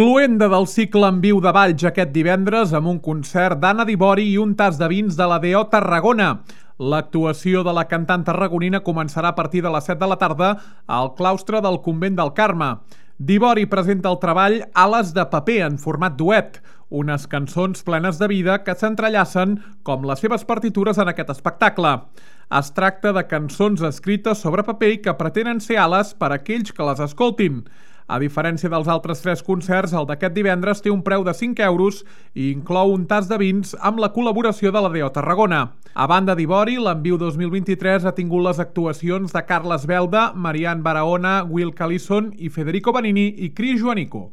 Cloenda del cicle en viu de Valls aquest divendres amb un concert d'Anna Dibori i un tas de vins de la D.O. Tarragona. L'actuació de la cantant tarragonina començarà a partir de les 7 de la tarda al claustre del Convent del Carme. Dibori presenta el treball Ales de paper en format duet, unes cançons plenes de vida que s'entrellacen com les seves partitures en aquest espectacle. Es tracta de cançons escrites sobre paper i que pretenen ser ales per a aquells que les escoltin. A diferència dels altres 3 concerts, el d'aquest divendres té un preu de 5 euros i inclou un tas de vins amb la col·laboració de la D.O. Tarragona. A banda d'Ibori, l'Enviu 2023 ha tingut les actuacions de Carles Belda, Marian Barahona, Will Callison i Federico Benini i Cris Joanico.